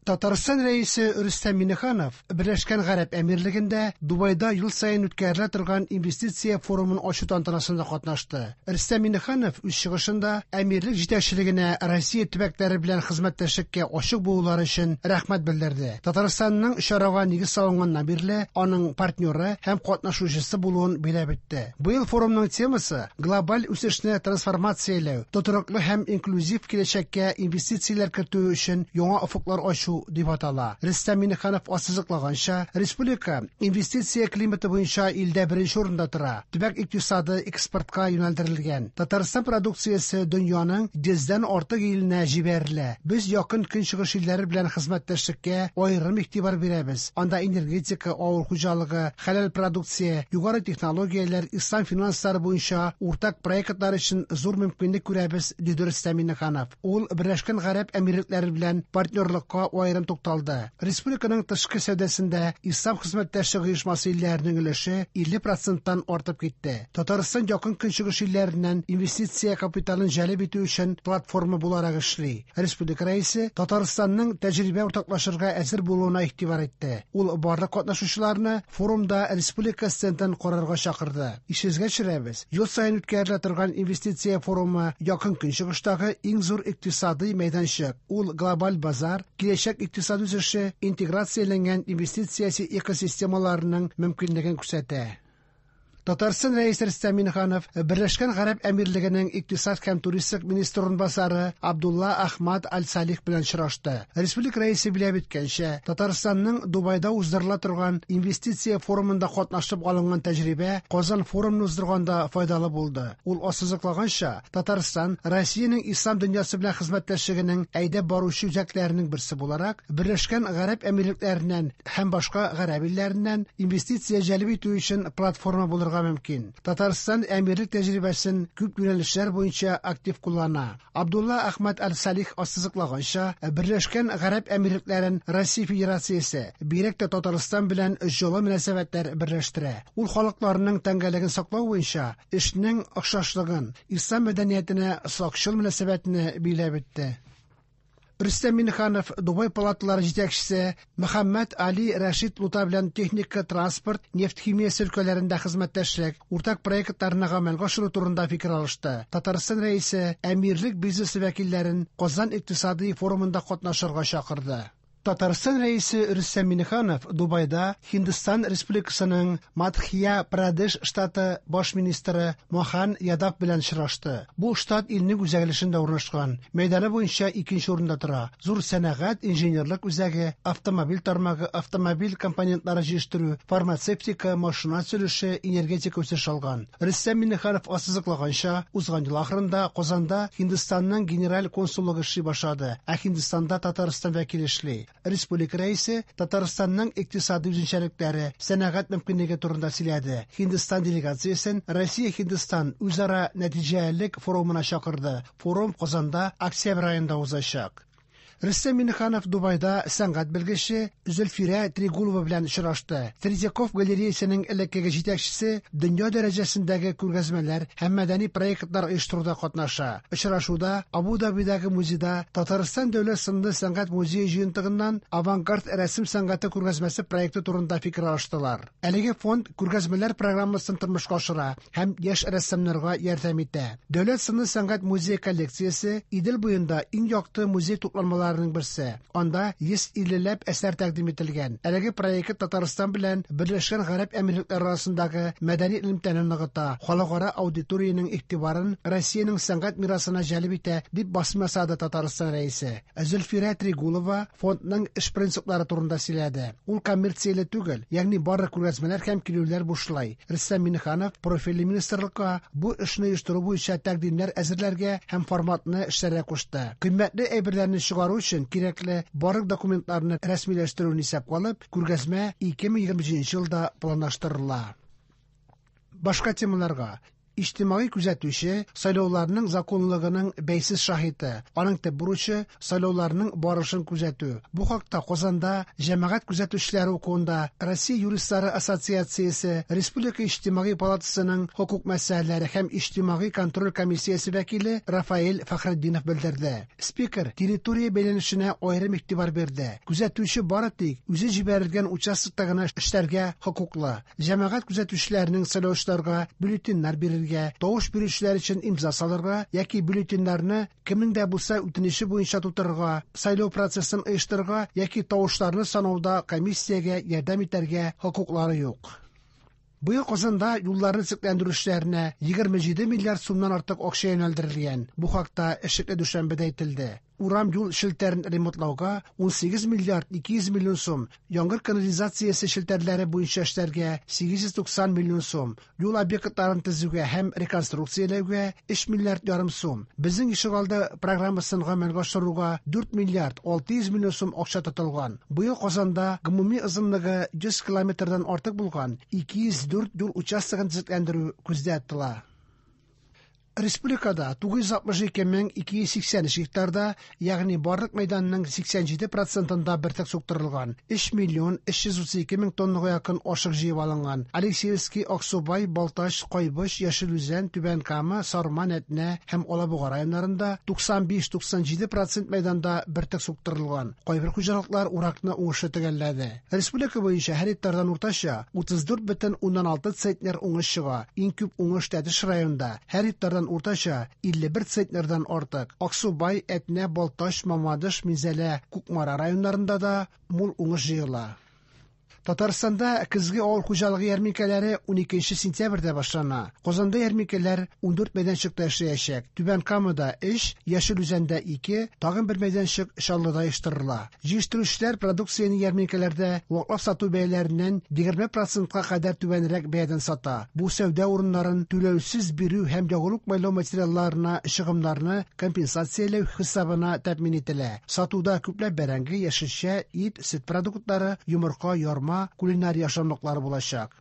Татарстан Рәисе Рөстәм Миңнеханов Берләшкән Гарәп Әмирлегендә Дубайда ел саен үткәрелә торган инвестиция форумын ачу тантанасында катнашты. Рөстәм Миңнеханов үз чыгышында әмирлек җитәкчелегенә Россия төбәкләре белән хезмәттәшлеккә ачык булулары өчен рәхмәт белдерде. Татарстанның чарага нигез салынганнан бирле аның партнеры һәм катнашучысы булуын биләп үтте. Быел форумның темасы глобаль үсешне трансформацияләү, тотрыклы һәм инклюзив киләчәккә инвестицияләр кертү өчен яңа офыклар ачу дип атала. Рөстәм Миңнеханов ассызыклаганча, республика инвестиция климаты буенча илдә беренче урында тора. Төбәк икътисады экспортка юнәлдерелгән. Татарстан продукциясе дөньяның 100дән артык иленә җибәрелә. Без якын көнчыгыш илләре белән хезмәттәшлеккә аерым игътибар бирәбез. Анда энергетика, авыл хуҗалыгы, хәләл продукция, югары технологияләр, ислам финанслары буенча уртак проектлар өчен зур мөмкинлек күрәбез, диде Рөстәм Миңнеханов. Ул Берләшкән Гарәп Әмирлекләре белән партнерлыкка аерым тукталды. Республиканың тышкы сәүдәсендә Ислам хезмәттәшлеге оешмасы илләренең өлеше 50 проценттан артып китте. Татарстан якын көнчыгыш илләреннән инвестиция капиталын җәлеп итү өчен платформа буларак эшли. Республика Рәисе Татарстанның тәҗрибә уртаклашырга әзер булуына игътибар итте. Ул барлык катнашучыларны форумда республика стендын карарга чакырды. Исегезгә төшерәбез, ел саен үткәрелә торган инвестиция форумы якын көнчыгыштагы иң зур икътисадый мәйданчык. Ул глобаль базар, киләчәк икътисад үсеше, интеграцияләнгән инвестиция экосистемаларының мөмкинлеген күрсәтә. Татарстан Рәисе Рөстәм Миңнеханов Берләшкән Гарәп Әмирлегенең икътисад һәм туристик министры урынбасары Абдулла Ахмад Аль-Салих белән очрашты. Республика Рәисе билгеләп үткәнчә, Татарстанның Дубайда уздырыла торган инвестиция форумында катнашып алынган тәҗрибә Казан форумын уздырганда файдалы булды. Ул ассызыклаганча, Татарстан Россиянең ислам дөньясы белән хезмәттәшлегенең әйдәп баручы үзәкләренең берсе буларак, Берләшкән Гарәп Әмирлекләреннән һәм башка гарәп илләреннән инвестиция җәлеп итү өчен платформа булырга мөмкин. Татарстан әмирлек тәҗрибәсен күп юнәлешләр буенча актив куллана. Абдулла Ахмад Аль-Салих ассызыклаганча, Берләшкән Гарәп Әмирлекләрен Россия Федерациясе, бигрәк тә Татарстан белән җылы мөнәсәбәтләр берләштерә. Ул халыкларның тәңгәллеген саклау буенча эшнең охшашлыгын, ислам мәдәниятенә сакчыл мөнәсәбәтне билгеләп үтте. Рөстәм Миңнеханов Дубай палаталары җитәкчесе Мөхәммәд Али Рәшид Лута белән техника, транспорт, нефть химиясе өлкәләрендә хезмәттәшлек, уртак проектларны гамәлгә ашыру турында фикер алышты. Татарстан Рәисе әмирлек бизнесы вәкилләрен Казан икътисадый форумында катнашырга чакырды. Татарстан Рәисе Рөстәм Миңнеханов Дубайда Һиндстан Республикасының Мадхья-Прадеш штаты баш министры Мохан Ядав белән очрашты. Бу штат илнең үзәк өлешендә урнашкан, мәйданы буенча икенче урында тора. Зур сәнәгать, инженерлык үзәге, автомобиль тармагы, автомобиль компонентлары җитештерү, фармацевтика, машина төзелеше, энергетика үсеш алган. Рөстәм Миңнеханов ассызыклаганча, узган ел ахырында Казанда Һиндстанның генераль консуллыгы эшли башлады, ә Һиндстанда Татарстан вәкиле эшли. Республика Рәисе Татарстанның икътисади үзенчәлекләре, сәнәгать мөмкинлеге турында сөйләде. Һиндстан делегациясен Россия-Һиндстан үзара нәтиҗәлелек форумына чакырды. Форум Казанда октябрь аенда узачак. Рөстәм Миңнеханов Дубайда сәнгать белгече Зөлфирә Трегулова белән очрашты. Третьяков галереясының элеккеге җитәкчесе дөнья дәрәҗәсендәге күргәзмәләр һәм мәдәни проектлар оештыруда катнаша. Очрашуда Абу-Дабидагы музейда Татарстан дәүләт сынлы сәнгать музее җыентыгыннан авангард рәсем сәнгате күргәзмәсе проекты турында фикер алыштылар. Әлеге фонд күргәзмәләр программасын тормышка ашыра һәм яшь рәссамнарга ярдәм итә. Дәүләт сынлы сәнгать музее коллекциясе Идел буенда иң якты музей тупланмаларының берсе. Анда 150 ләп әсәр тәкъдим ителгән. Әлеге проект Татарстан белән Берләшкән Гарәп Әмирлекләре арасындагы мәдәни элемтәне ныгыта, халыкара аудиториянең игътибарын Россиянең сәнгать мирасына җәлеп итә, дип басым ясады Татарстан Рәисе. Зөлфирә Трегулова фондның эш принциплары турында сөйләде. Ул коммерцияле түгел, ягъни барлык күргәзмәләр һәм килүләр бушлай. Рөстәм Миңнеханов профильле министрлыкка бу эшне оештыру буенча тәкъдимнәр әзерләргә һәм форматны эшләргә кушты. Кыйммәтле әйберләрне чыгару өчен кирәкле барлык документларны рәсмиләштерүне исәпкә алып, күргәзмә 2027 елда планлаштырыла. Башка темаларга. Иҗтимагый күзәтүче сайлауларның законлылыгының бәйсез шаһиты. Аның төп бурычы сайлауларның барышын күзәтү. Бу хакта Казанда җәмәгать күзәтүчеләре укуында Россия юристлары ассоциациясе Республика иҗтимагый палатасының хокук мәсьәләләре һәм иҗтимагый контроль комиссиясе вәкиле Рафаэль Фәхретдинов белдерде. Спикер территория бәйләнешенә аерым игътибар бирде. Күзәтүче бары тик үзе җибәрелгән участокта гына эшләргә хокуклы. Җәмәгать күзәтүчеләренең сайлаучыларга бюллетеньнәр бирергә, тавыш бирүчеләр өчен имза салырга яки бюллетеньнәрне кемнең дә булса үтенече буенча тутырырга, сайлау процессын оештырырга яки тавышларны санауда комиссиягә ярдәм итәргә хокуклары юк. Быел Казанда юлларны төзекләндерү эшләренә 27 миллиард сумнан артык акча юнәлдерелгән. Бу хакта эшлекле дүшәмбедә әйтелде. Урам юл челтәрен ремонтлауга 18 миллиард 200 миллион сум, яңгыр канализациясе челтәрләре буенча эшләргә 890 миллион сум, юл объектларын төзүгә һәм реконструкцияләүгә 3 миллиард ярым сум, Безнең ишегалды программасын гамәлгә ашыруга 4 миллиард 600 миллион сум акча тотылган. Быел Казанда гомуми озынлыгы 100 километрдан артык булган 204 юл участогын төзекләндерү күздә тотыла. Республикада 962 мең 283 гектарда, ягъни барлык мәйданның 87 процентында бөртек суктырылган. 3 миллион 332 мең тоннага якын ашык җыеп алынган. Алексеевский, Аксубай, Балтач, Кайбыч, Яшел Үзән, Түбән Кама, Сарман, Әтнә һәм Алабуга районнарында 95-97 процент мәйданда бөртек суктырылган. Кайбер хуҗалыклар уракны уңышлы төгәлләде. Республика буенча һәр гектардан уртача 34,6 центнер уңыш чыга. Иң күп уңыш Тәтеш районында. Һәр гектардан уртача 51 центнердан артык. Аксубай, Әтнә, Балтач, Мамадыш, Минзәлә, Кукмара районнарында да мул уңыш җыела. Татарстанда көзге авыл хуҗалыгы ярминкәләре 12 сентябрьдә башлана. Казанда ярминкәләр 14 мәйданчыкта эшләячәк. Түбән Камада 3, Яшел Үзәндә 2, тагын бер мәйданчык Чаллыда оештырыла. Җитештерүчеләр продукцияне ярминкәләрдә ваклап сату бәяләреннән 20 процентка кадәр түбәнрәк бәядән сата. Бу сәүдә урыннарын түләүсез бирү һәм ягулык-майлау материалларына чыгымнарны компенсацияләү хисабына тәэмин ителә. Сатуда күпләп бәрәңге, яшелчә, ит, сөт продуктлары, йомырка, ярма, кулинария ашамлыклары булачак.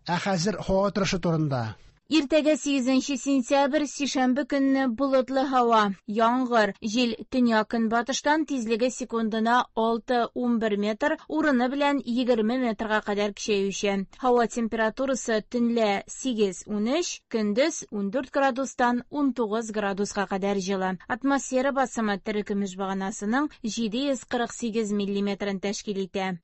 Ә хәзер һава торышы турында. Иртәгә 8 сентябрь, сишәмбе көнне болытлы һава, яңгыр, җил төньяк-көнбатыштан тизлеге секундына 6-11 метр, урыны белән 20 метрга кадәр көчәючән. Һава температурасы төнлә 8-13, көндез 14 градустан 19 градуска кадәр җылы. Атмосфера басымы терекөмеш баганасының 748 миллиметрын тәшкил итә.